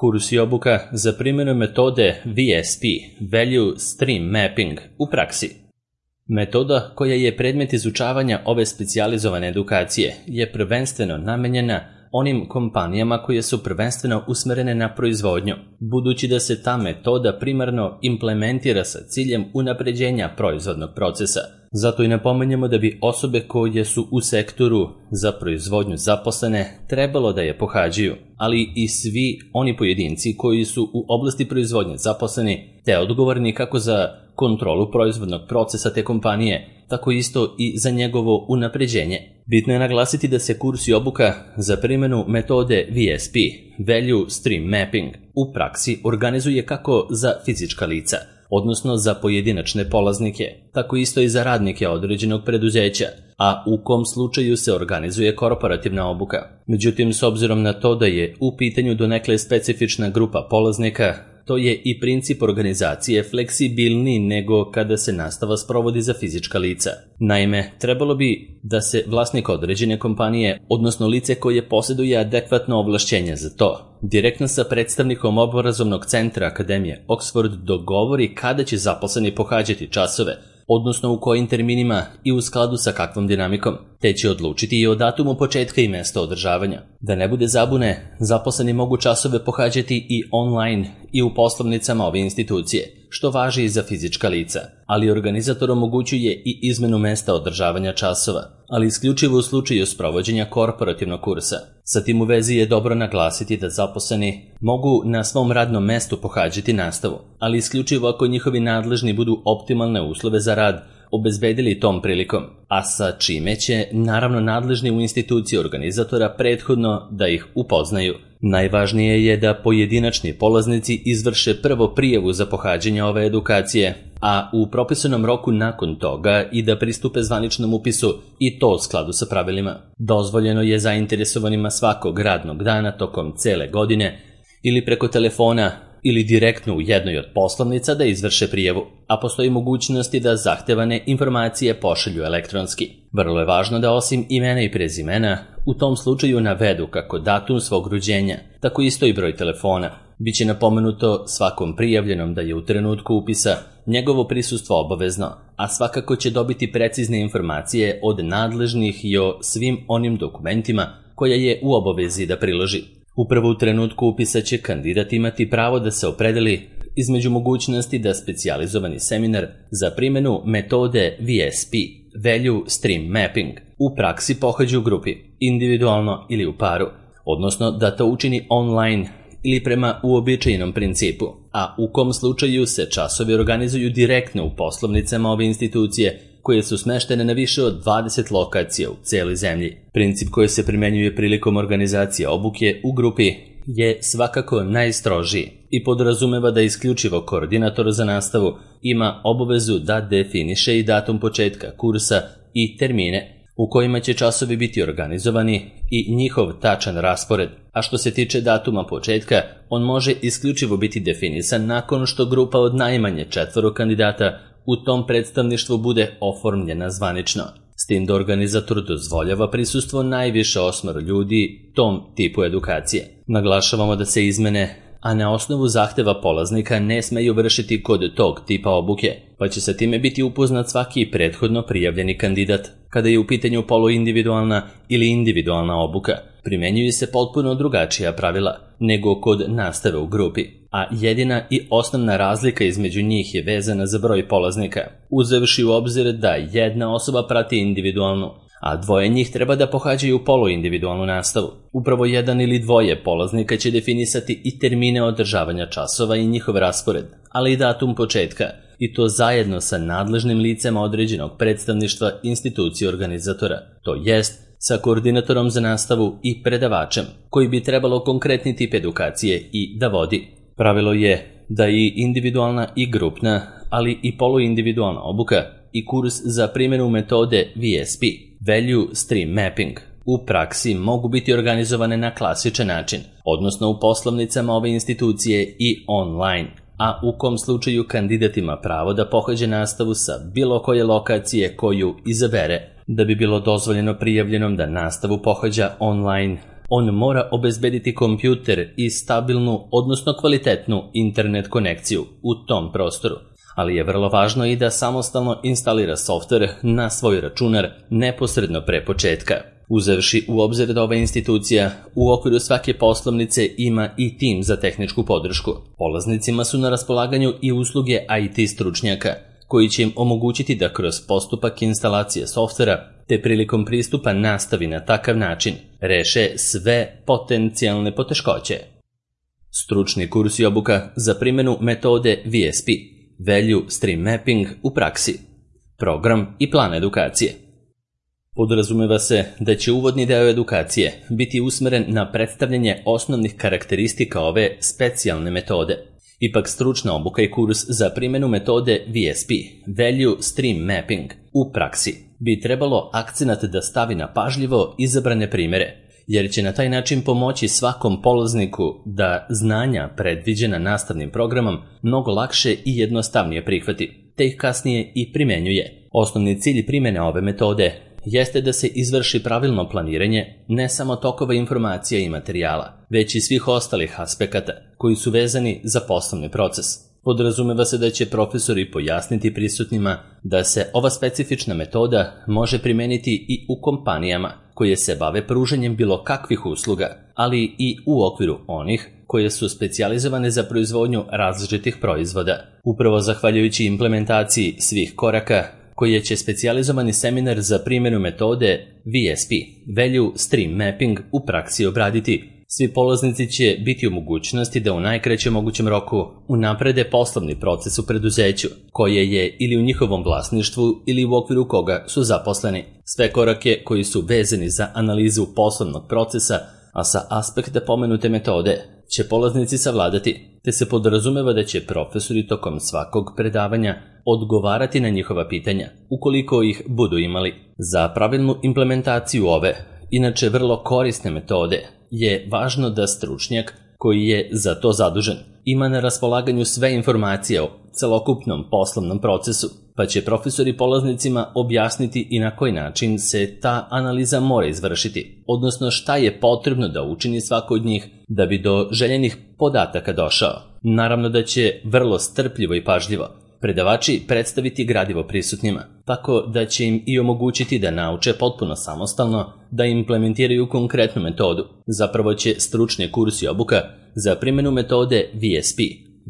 Kurs i obuka za primjenu metode VSP, Value Stream Mapping, u praksi. Metoda koja je predmet izučavanja ove specijalizovane edukacije je prvenstveno namenjena onim kompanijama koje su prvenstveno usmerene na proizvodnju, budući da se ta metoda primarno implementira sa ciljem unapređenja proizvodnog procesa. Zato i napominjemo da bi osobe koje su u sektoru za proizvodnju zaposlene trebalo da je pohađaju, ali i svi oni pojedinci koji su u oblasti proizvodnje zaposleni te odgovorni kako za kontrolu proizvodnog procesa te kompanije, tako isto i za njegovo unapređenje. Bitno je naglasiti da se kurs i obuka za primjenu metode VSP, Value Stream Mapping, u praksi organizuje kako za fizička lica, odnosno za pojedinačne polaznike, tako isto i za radnike određenog preduzeća, a u kom slučaju se organizuje korporativna obuka. Međutim, s obzirom na to da je u pitanju donekle specifična grupa polaznika, to je i princip organizacije fleksibilniji nego kada se nastava sprovodi za fizička lica. Naime, trebalo bi da se vlasnik određene kompanije, odnosno lice koje posjeduje adekvatno ovlašćenje za to, direktno sa predstavnikom obrazovnog centra Akademije Oxford dogovori kada će zaposleni pohađati časove, odnosno u kojim terminima i u skladu sa kakvom dinamikom, te će odlučiti i o datumu početka i mjesto održavanja. Da ne bude zabune, zaposleni mogu časove pohađati i online i u poslovnicama ove institucije, što važi i za fizička lica, ali organizator omogućuje i izmenu mjesta održavanja časova, ali isključivo u slučaju sprovođenja korporativnog kursa. Sa tim u vezi je dobro naglasiti da zaposleni mogu na svom radnom mjestu pohađati nastavu, ali isključivo ako njihovi nadležni budu optimalne uslove za rad obezbedili tom prilikom, a sa čime će naravno nadležni u instituciji organizatora prethodno da ih upoznaju. Najvažnije je da pojedinačni polaznici izvrše prvo prijavu za pohađanje ove edukacije, a u propisanom roku nakon toga i da pristupe zvaničnom upisu, i to u skladu sa pravilima. Dozvoljeno je zainteresovanima svakog radnog dana tokom cele godine ili preko telefona ili direktno u jednoj od poslovnica da izvrše prijavu, a postoji mogućnosti da zahtevane informacije pošalju elektronski. Vrlo je važno da osim imena i prezimena u tom slučaju navedu kako datum svog rođenja, tako isto i broj telefona. Biće napomenuto svakom prijavljenom da je u trenutku upisa njegovo prisustvo obavezno, a svakako će dobiti precizne informacije od nadležnih i o svim onim dokumentima koja je u obavezi da priloži. Upravo u trenutku upisa će kandidat imati pravo da se opredeli između mogućnosti da specijalizovani seminar za primjenu metode VSP, Value Stream Mapping, u praksi pohađa u grupi, individualno ili u paru, odnosno da to učini online ili prema uobičajenom principu, a u kom slučaju se časovi organizuju direktno u poslovnicama ove institucije koje su smeštene na više od 20 lokacija u cijeloj zemlji. Princip koji se primjenjuje prilikom organizacije obuke u grupi je svakako najstrožiji i podrazumeva da isključivo koordinator za nastavu ima obavezu da definiše i datum početka kursa i termine u kojima će časovi biti organizovani i njihov tačan raspored, a što se tiče datuma početka, on može isključivo biti definisan nakon što grupa od najmanje 4 kandidata u tom predstavništvu bude oformljena zvanično, s tim da organizator dozvoljava prisustvo najviše 8 ljudi tom tipu edukacije. Naglašavamo da se izmene, a na osnovu zahteva polaznika, ne smeju vršiti kod tog tipa obuke, pa će sa time biti upoznat svaki prethodno prijavljeni kandidat. Kada je u pitanju poluindividualna ili individualna obuka, primjenjuju se potpuno drugačija pravila nego kod nastave u grupi, a jedina i osnovna razlika između njih je vezana za broj polaznika, uzevši u obzir da jedna osoba prati individualnu, a 2 njih treba da pohađaju poluindividualnu nastavu. Upravo 1 ili 2 polaznika će definisati i termine održavanja časova i njihov raspored, ali i datum početka, i to zajedno sa nadležnim licema određenog predstavništva institucije organizatora, to jest sa koordinatorom za nastavu i predavačem, koji bi trebalo konkretni tip edukacije i da vodi. Pravilo je da i individualna i grupna, ali i poluindividualna obuka i kurs za primjenu metode VSP, Value Stream Mapping, u praksi mogu biti organizovane na klasičan način, odnosno u poslovnicama ove institucije i online, a u kom slučaju kandidat ima pravo da pohađa nastavu sa bilo koje lokacije koju izabere. Da bi bilo dozvoljeno prijavljenom da nastavu pohađa online, On mora obezbediti kompjuter i stabilnu, odnosno kvalitetnu internet konekciju u tom prostoru, ali je vrlo važno i da samostalno instalira softver na svoj računar neposredno pre početka. Uzevši u obzir da ova institucija u okviru svake poslovnice ima i tim za tehničku podršku, polaznicima su na raspolaganju i usluge IT stručnjaka, koji će im omogućiti da kroz postupak instalacije softvera te prilikom pristupa nastavi na takav način reše sve potencijalne poteškoće. Stručni kurs i obuka za primjenu metode VSP, Value Stream Mapping u praksi, program i plan edukacije. Podrazumeva se da će uvodni deo edukacije biti usmeren na predstavljanje osnovnih karakteristika ove specijalne metode. Ipak stručna obuka i kurs za primjenu metode VSP, Value Stream Mapping, u praksi bi trebalo akcenat da stavi na pažljivo izabrane primjere, jer će na taj način pomoći svakom polazniku da znanja predviđena nastavnim programom mnogo lakše i jednostavnije prihvati, te ih kasnije i primenjuje. Osnovni cilj primjene ove metode jeste da se izvrši pravilno planiranje ne samo tokova informacija i materijala, već i svih ostalih aspekata koji su vezani za poslovni proces. Podrazumeva se da će profesori pojasniti prisutnima da se ova specifična metoda može primeniti i u kompanijama koje se bave pružanjem bilo kakvih usluga, ali i u okviru onih koje su specijalizovane za proizvodnju različitih proizvoda. Upravo zahvaljujući implementaciji svih koraka koje će specijalizovani seminar za primjenu metode VSP, Value Stream Mapping, u praksi obraditi, svi polaznici će biti u mogućnosti da u najkraćem mogućem roku unaprede poslovni proces u preduzeću, koje je ili u njihovom vlasništvu ili u okviru koga su zaposleni. Sve korake koji su vezani za analizu poslovnog procesa, a sa aspekta pomenute metode, će polaznici savladati, te se podrazumeva da će profesori tokom svakog predavanja odgovarati na njihova pitanja, ukoliko ih budu imali. Za pravilnu implementaciju ove, inače vrlo korisne metode, je važno da stručnjak koji je za to zadužen ima na raspolaganju sve informacije o celokupnom poslovnom procesu, pa će profesori polaznicima objasniti i na koji način se ta analiza mora izvršiti, odnosno šta je potrebno da učini svako od njih da bi do željenih podataka došao. Naravno da će vrlo strpljivo i pažljivo predavači predstaviti gradivo prisutnima, tako da će im i omogućiti da nauče potpuno samostalno da implementiraju konkretnu metodu. Zapravo će stručni kurs i obuka za primjenu metode VSP,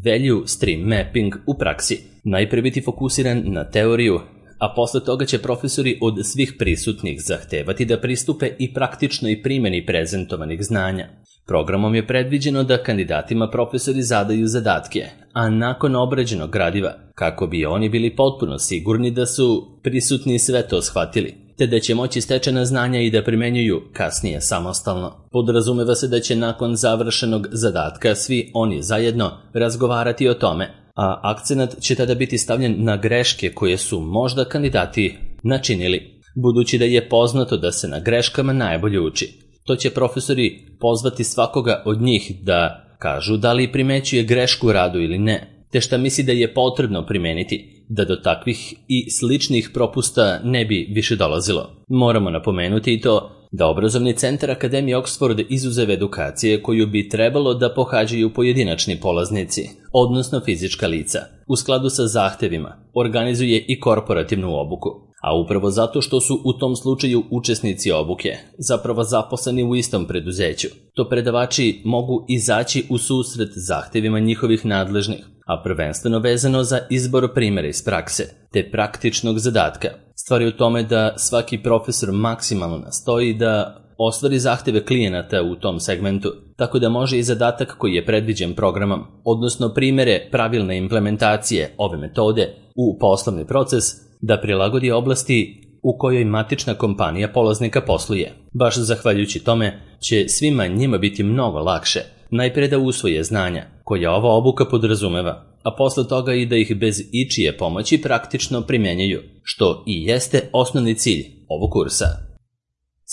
Value Stream Mapping, u praksi najprije biti fokusiran na teoriju, a posle toga će profesori od svih prisutnih zahtevati da pristupe i praktičnoj primjeni prezentovanih znanja. Programom je predviđeno da kandidatima profesori zadaju zadatke, a nakon obrađenog gradiva, kako bi oni bili potpuno sigurni da su prisutni sve to shvatili, te da će moći stečena znanja i da primenjuju kasnije samostalno. Podrazumeva se da će nakon završenog zadatka svi oni zajedno razgovarati o tome, a akcenat će tada biti stavljen na greške koje su možda kandidati načinili, budući da je poznato da se na greškama najbolje uči. To će profesori pozvati svakoga od njih da kažu da li primećuje grešku u radu ili ne, te šta misli da je potrebno primeniti, da do takvih i sličnih propusta ne bi više dolazilo. Moramo napomenuti i to da obrazovni centar Akademije Oxford, izuzev edukacije koju bi trebalo da pohađaju pojedinačni polaznici, odnosno fizička lica, u skladu sa zahtevima, organizuje i korporativnu obuku. A upravo zato što su u tom slučaju učesnici obuke zapravo zaposleni u istom preduzeću, to predavači mogu izaći u susret zahtevima njihovih nadležnih, a prvenstveno vezano za izbor primjera iz prakse, te praktičnog zadatka. Stvar je u tome da svaki profesor maksimalno nastoji da ostvari zahteve klijenata u tom segmentu, tako da može i zadatak koji je predviđen programom, odnosno primjere pravilne implementacije ove metode u poslovni proces, da prilagodi oblasti u kojoj matična kompanija polaznika posluje. Baš zahvaljujući tome će svima njima biti mnogo lakše najprije da usvoje znanja koja ova obuka podrazumeva, a posle toga i da ih bez ičije pomoći praktično primjenjuju, što i jeste osnovni cilj ovog kursa.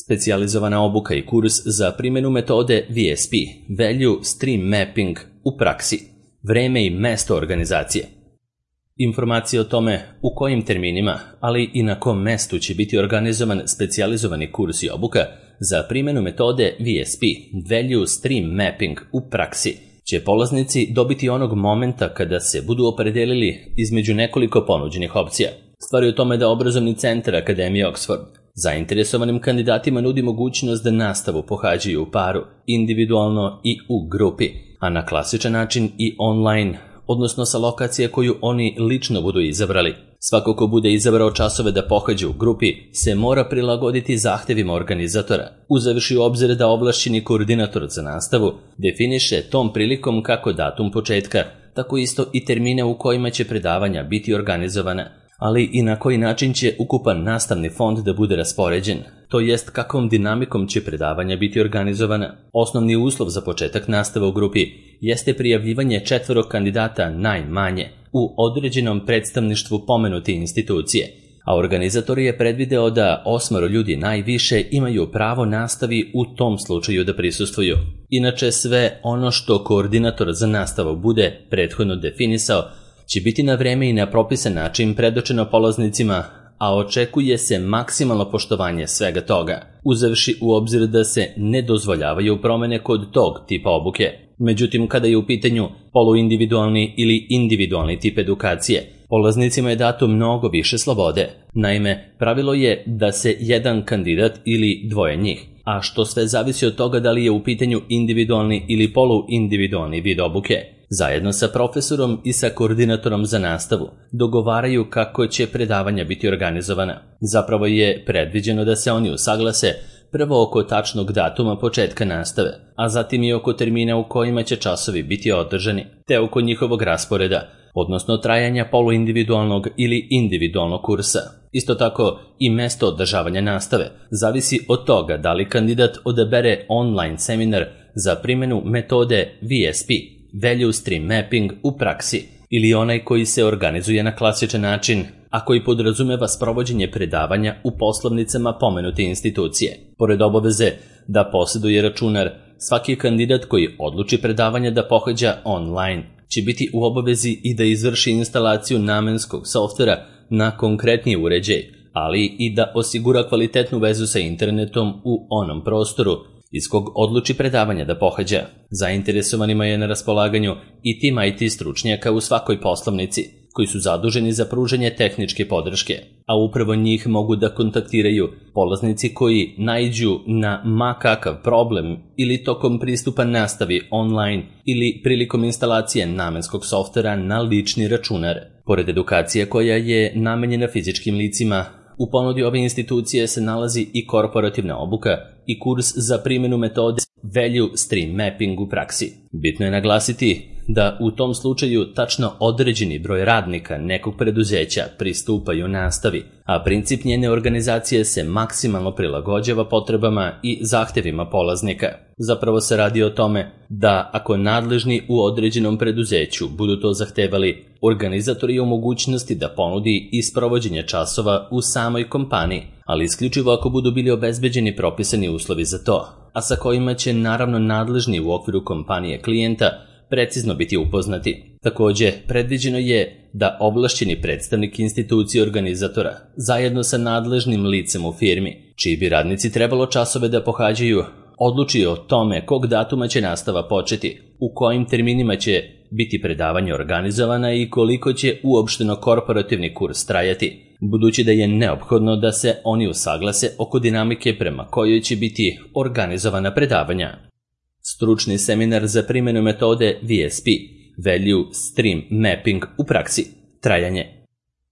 Specijalizovana obuka i kurs za primjenu metode VSP, Value Stream Mapping, u praksi, vreme i mesto organizacije. Informacije o tome u kojim terminima, ali i na kom mestu će biti organizovan specijalizovani kurs i obuka, za primjenu metode VSP, Value Stream Mapping, u praksi će polaznici dobiti onog momenta kada se budu opredelili između nekoliko ponuđenih opcija. Stvar je u tome da obrazovni centar Akademije Oxford zainteresovanim kandidatima nudi mogućnost da nastavu pohađaju u paru, individualno i u grupi, a na klasičan način i online, odnosno sa lokacije koju oni lično budu izabrali. Svako ko bude izabrao časove da pohađa u grupi se mora prilagoditi zahtevima organizatora, uzevši u obzir da ovlašćeni koordinator za nastavu definiše tom prilikom kako datum početka, tako isto i termine u kojima će predavanja biti organizovana, ali i na koji način će ukupan nastavni fond da bude raspoređen, to jest kakvom dinamikom će predavanja biti organizovana. Osnovni uslov za početak nastave u grupi jeste prijavljivanje 4 kandidata najmanje u određenom predstavništvu pomenute institucije, a organizator je predvideo da 8 ljudi najviše imaju pravo nastavi u tom slučaju da prisustvuju. Inače, sve ono što koordinator za nastavu bude prethodno definisao će biti na vreme i na propisan način predočeno polaznicima, a očekuje se maksimalno poštovanje svega toga, uzevši u obzir da se ne dozvoljavaju promene kod tog tipa obuke. Međutim, kada je u pitanju poluindividualni ili individualni tip edukacije, polaznicima je dato mnogo više slobode. Naime, pravilo je da se jedan kandidat ili dvoje njih, a što sve zavisi od toga da li je u pitanju individualni ili poluindividualni vid obuke, zajedno sa profesorom i sa koordinatorom za nastavu dogovaraju kako će predavanja biti organizovana. Zapravo je predviđeno da se oni usaglase prvo oko tačnog datuma početka nastave, a zatim i oko termina u kojima će časovi biti održani, te oko njihovog rasporeda, odnosno trajanja poluindividualnog ili individualnog kursa. Isto tako i mesto održavanja nastave zavisi od toga da li kandidat odabere online seminar za primjenu metode VSP, Value Stream Mapping, u praksi, ili onaj koji se organizuje na klasičan način, a koji podrazumeva sprovođenje predavanja u poslovnicama pomenute institucije. Pored obaveze da posjeduje računar, svaki kandidat koji odluči predavanja da pohađa online će biti u obavezi i da izvrši instalaciju namenskog softvera na konkretni uređaj, ali i da osigura kvalitetnu vezu sa internetom u onom prostoru iz kog odluči predavanja da pohađa. Zainteresovanima je na raspolaganju i tim IT stručnjaka u svakoj poslovnici, koji su zaduženi za pružanje tehničke podrške, a upravo njih mogu da kontaktiraju polaznici koji naiđu na ma kakav problem ili tokom pristupa nastavi online ili prilikom instalacije namenskog softvera na lični računar. Pored edukacije koja je namenjena fizičkim licima, u ponudi ove institucije se nalazi i korporativna obuka i kurs za primjenu metode Value Stream Mapping u praksi. Bitno je naglasiti da u tom slučaju tačno određeni broj radnika nekog preduzeća pristupaju nastavi, a princip njene organizacije se maksimalno prilagođava potrebama i zahtevima polaznika. Zapravo se radi o tome da ako nadležni u određenom preduzeću budu to zahtevali, organizator je u mogućnosti da ponudi i sprovođenje časova u samoj kompaniji, ali isključivo ako budu bili obezbeđeni propisani uslovi za to, a sa kojima će naravno nadležni u okviru kompanije klijenta precizno biti upoznati. Također, predviđeno je da ovlašćeni predstavnik institucije organizatora, zajedno sa nadležnim licem u firmi, čiji bi radnici trebalo časove da pohađaju, odluči o tome kog datuma će nastava početi, u kojim terminima će biti predavanje organizovana i koliko će uopšteno korporativni kurs trajati, budući da je neophodno da se oni usaglase oko dinamike prema kojoj će biti organizovana predavanja. Stručni seminar za primjenu metode VSP, Value Stream Mapping, u praksi. Trajanje.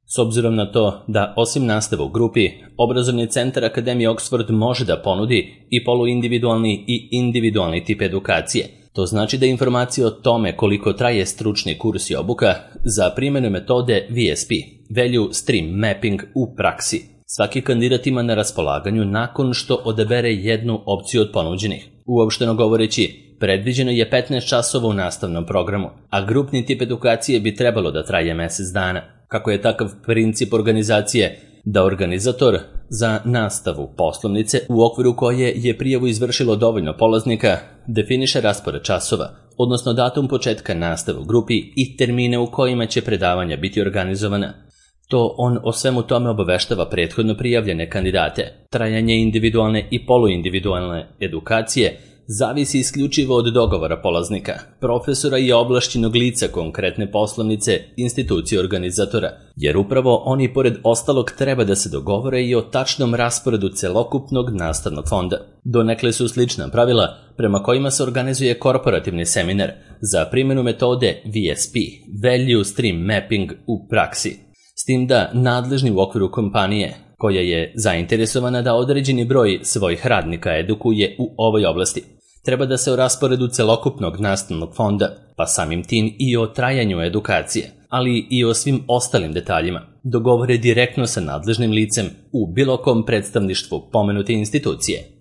S obzirom na to da osim nastave u grupi, obrazovni centar Akademije Oxford može da ponudi i poluindividualni i individualni tip edukacije. To znači da informacije o tome koliko traje stručni kurs i obuka za primjenu metode VSP, Value Stream Mapping, u praksi, svaki kandidat ima na raspolaganju nakon što odabere jednu opciju od ponuđenih. Uopšteno govoreći, predviđeno je 15 časova u nastavnom programu, a grupni tip edukacije bi trebalo da traje mjesec dana. Kako je takav princip organizacije da organizator za nastavu poslovnice, u okviru koje je prijavu izvršilo dovoljno polaznika, definiše raspored časova, odnosno datum početka nastave u grupi i termine u kojima će predavanja biti organizovana. To on o svemu tome obaveštava prethodno prijavljene kandidate. Trajanje individualne i poluindividualne edukacije zavisi isključivo od dogovora polaznika, profesora i ovlašćenog lica konkretne poslovnice, institucije organizatora, jer upravo oni pored ostalog treba da se dogovore i o tačnom rasporedu celokupnog nastavnog fonda. Donekle su slična pravila prema kojima se organizuje korporativni seminar za primjenu metode VSP, Value Stream Mapping, u praksi. S tim da nadležni u okviru kompanije, koja je zainteresovana da određeni broj svojih radnika edukuje u ovoj oblasti, treba da se o rasporedu celokupnog nastavnog fonda, pa samim tim i o trajanju edukacije, ali i o svim ostalim detaljima, dogovore direktno sa nadležnim licem u bilo kom predstavništvu pomenute institucije.